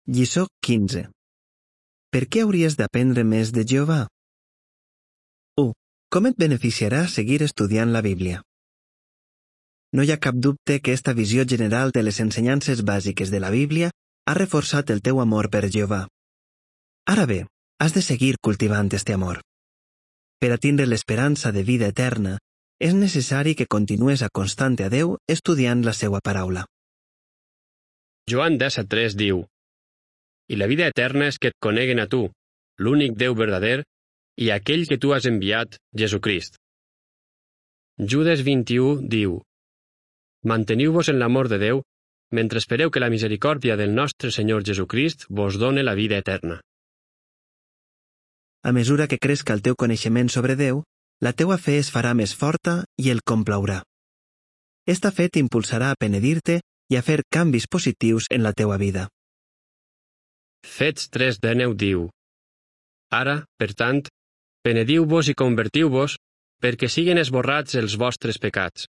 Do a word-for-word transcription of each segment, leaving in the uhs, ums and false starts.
Lliçó quinze. Per què hauries d'aprendre més de Jehovà? u. Com et beneficiarà seguir estudiant la Bíblia? No hi ha cap dubte que esta visió general de les ensenyances bàsiques de la Bíblia ha reforçat el teu amor per Jehovà. Ara bé, has de seguir cultivant este amor. Per a tindre l'esperança de vida eterna, és necessari que continues aconstant a Déu estudiant la seva paraula. Joan disset tres diu: I la vida eterna és que et coneguen a tu, l'únic Déu verdader, i aquell que tu has enviat, Jesucrist. Judes vint-i-u diu: Manteniu-vos en l'amor de Déu, mentre espereu que la misericòrdia del nostre Senyor Jesucrist vos done la vida eterna. A mesura que cresca el teu coneixement sobre Déu, la teua fe es farà més forta i el complaurà. Esta fe t'impulsarà a penedir-te i a fer canvis positius en la teua vida. Fets tres dinou diu: Ara, per tant, penediu-vos i convertiu-vos, perquè siguen esborrats els vostres pecats.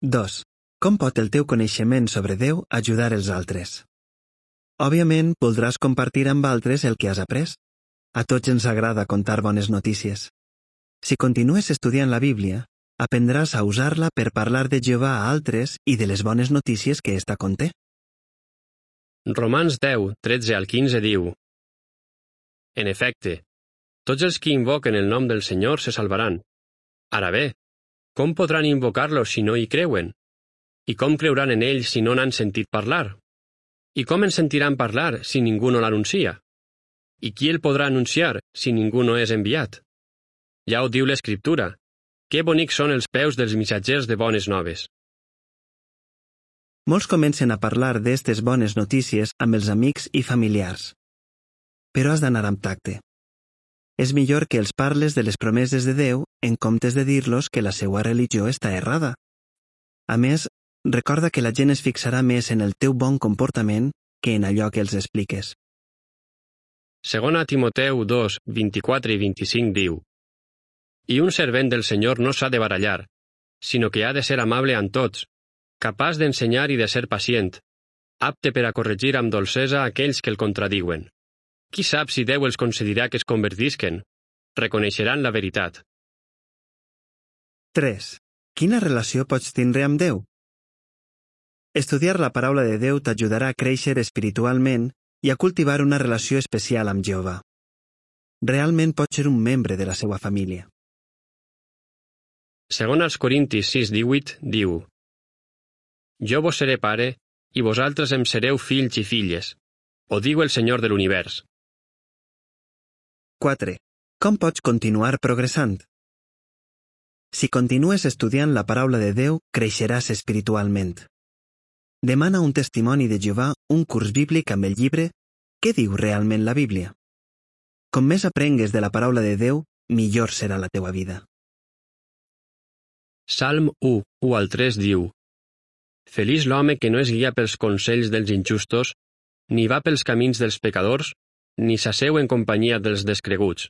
dos. Com pot el teu coneixement sobre Déu ajudar els altres? Òbviament, voldràs compartir amb altres el que has après. A tots ens agrada contar bones notícies. Si continues estudiant la Bíblia, aprendràs a usar-la per parlar de Jehovà a altres i de les bones notícies que ésta conté. Romans deu, tretze al quinze diu: En efecte, tots els que invoquen el nom del Senyor se salvaran. Ara bé, com podran invocar-lo si no hi creuen? I com creuran en ell si no n'han sentit parlar? I com en sentiran parlar si ningú no l'anuncia? I qui el podrà anunciar si ningú no és enviat? Ja ho diu l'Escriptura: que bonics són els peus dels missatgers de bones noves. Molts comencen a parlar d'estes bones notícies amb els amics i familiars. Però has d'anar amb tacte. És millor que els parles de les promeses de Déu en comptes de dir-los que la seva religió està errada. A més, recorda que la gent es fixarà més en el teu bon comportament que en allò que els expliques. Segona Timoteu dos, vint-i-quatre i vint-i-cinc diu: I un servent del Senyor no s'ha de barallar, sinó que ha de ser amable amb tots, capaç d'ensenyar i de ser pacient, apte per a corregir amb dolcesa aquells que el contradiuen. Qui sap si Déu els concedirà que es convertisquen? Reconeixeran la veritat. tres. Quina relació pots tindre amb Déu? Estudiar la paraula de Déu t'ajudarà a créixer espiritualment i a cultivar una relació especial amb Jehovà. Realment pots ser un membre de la seva família. Segona als Corintis sis divuit diu: Jo vos seré pare, i vosaltres em sereu fills i filles. Ho diu el Senyor de l'univers. quatre. Com pots continuar progressant? Si continues estudiant la paraula de Déu, creixeràs espiritualment. Demana un testimoni de Jehovà un curs bíblic amb el llibre Què diu realment la Bíblia? Com més aprengues de la paraula de Déu, millor serà la teua vida. Salm u, u al tres diu: Feliç l'home que no es guia pels consells dels injustos, ni va pels camins dels pecadors, ni s'asseu en companyia dels descreguts.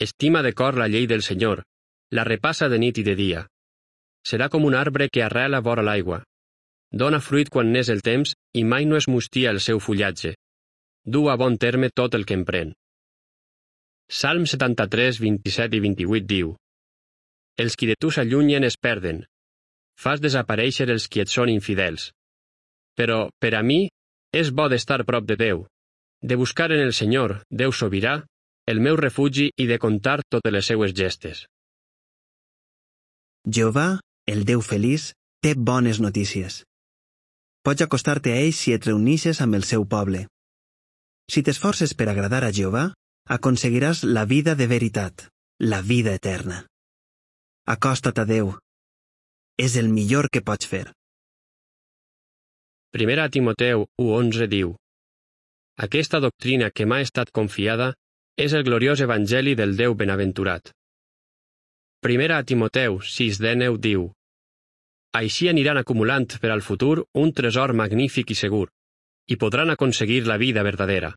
Estima de cor la llei del Senyor, la repassa de nit i de dia. Serà com un arbre que arrela vora l'aigua. Dóna fruit quan n'és el temps i mai no es mustia el seu fullatge. Du a bon terme tot el que emprèn. Salm setanta-tres, vint-i-set i vint-i-vuit diu: Els qui de tu s'allunyen es perden. Fas desaparèixer els qui et són infidels. Però, per a mi, és bo d'estar prop de Déu, de buscar en el Senyor, Déu sobirà, el meu refugi i de contar totes les seues gestes. Jehovà, el Déu feliç, té bones notícies. Pots acostar-te a ell si et reunixes amb el seu poble. Si t'esforces per agradar a Jehovà, aconseguiràs la vida de veritat, la vida eterna. Acosta't a Déu. És el millor que pots fer. Primera Timoteu u onze diu: Aquesta doctrina que m'ha estat confiada és el gloriós evangeli del Déu benaventurat. Primera Timoteu sis dinou diu: Així aniran acumulant per al futur un tresor magnífic i segur, i podran aconseguir la vida verdadera.